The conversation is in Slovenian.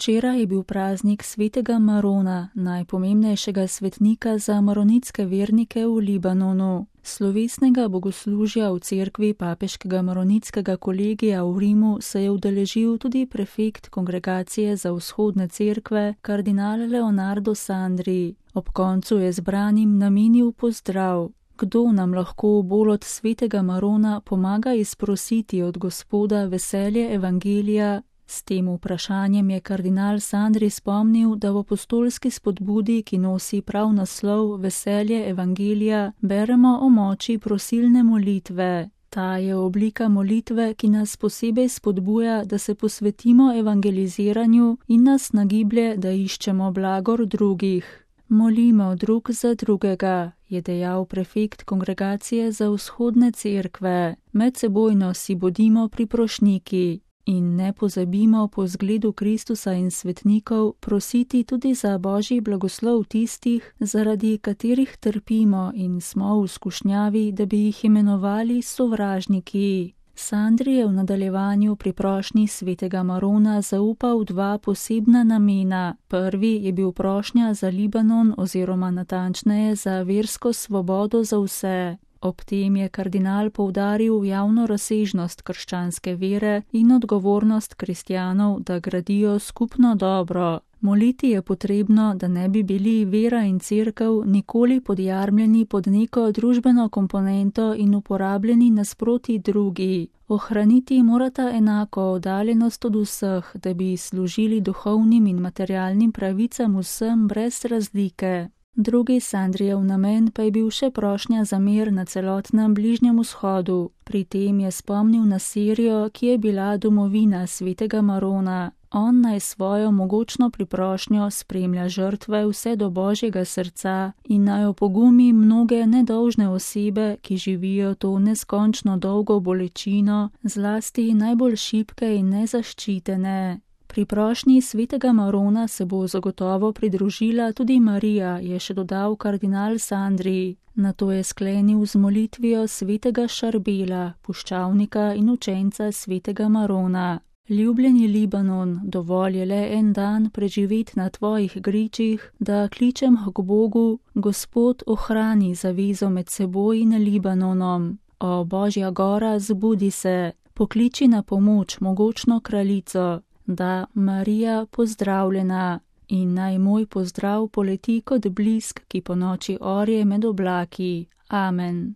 Včeraj je bil praznik svetega Marona, najpomembnejšega svetnika za maronitske vernike v Libanonu. Slovesnega bogoslužja v cerkvi papeškega maronitskega kolegija v Rimu se je udeležil tudi prefekt Kongregacije za vzhodne cerkve, kardinal Leonardo Sandri. Ob koncu je zbranim namenil pozdrav. Kdo nam lahko bolj od svetega Marona pomaga izprositi od Gospoda veselje evangelija? S tem vprašanjem je kardinal Sandri spomnil, da v apostolski spodbudi, ki nosi prav naslov Veselje evangelija, beremo o moči prosilne molitve. Ta je oblika molitve, ki nas posebej spodbuja, da se posvetimo evangeliziranju in nas nagiblje, da iščemo blagor drugih. Molimo drug za drugega, je dejal prefekt Kongregacije za vzhodne cerkve. Medsebojno si bodimo priprošniki. In ne pozabimo po zgledu Kristusa in svetnikov prositi tudi za božji blagoslov tistih, zaradi katerih trpimo in smo v skušnjavi, da bi jih imenovali sovražniki. Sandri je v nadaljevanju pri prošnji svetega Marona zaupal dva posebna namena. Prvi je bil prošnja za Libanon oziroma natančneje za versko svobodo za vse. Ob tem je kardinal poudaril javno razsežnost krščanske vere in odgovornost kristjanov, da gradijo skupno dobro. Moliti je potrebno, da ne bi bili vera in cerkev nikoli podjarmljeni pod neko družbeno komponento in uporabljeni nasproti drugi. Ohraniti morata enako oddaljenost od vseh, da bi služili duhovnim in materialnim pravicam vsem brez razlike. Drugi Sandrijev namen pa je bil še prošnja za mir na celotnem Bližnjem vzhodu. Pri tem je spomnil na Sirijo, ki je bila domovina svetega Marona. On naj svojo mogočno priprošnjo spremlja žrtve vse do Božjega srca in naj opogumi mnoge nedolžne osebe, ki živijo to neskončno dolgo bolečino, zlasti najbolj šibke in nezaščitene. Pri prošnji svetega Marona se bo zagotovo pridružila tudi Marija, je še dodal kardinal Sandri. Nato je sklenil z molitvijo svetega Šarbela, puščavnika in učenca svetega Marona. Ljubljeni Libanon, dovolj je le en dan preživeti na tvojih gričih, da kličem k Bogu, Gospod ohrani zavezo med seboj in Libanonom. O Božja gora, zbudi se, pokliči na pomoč mogočno kraljico. Da, Marija, pozdravljena, in naj moj pozdrav poleti kot blisk, ki po noči orje med oblaki. Amen.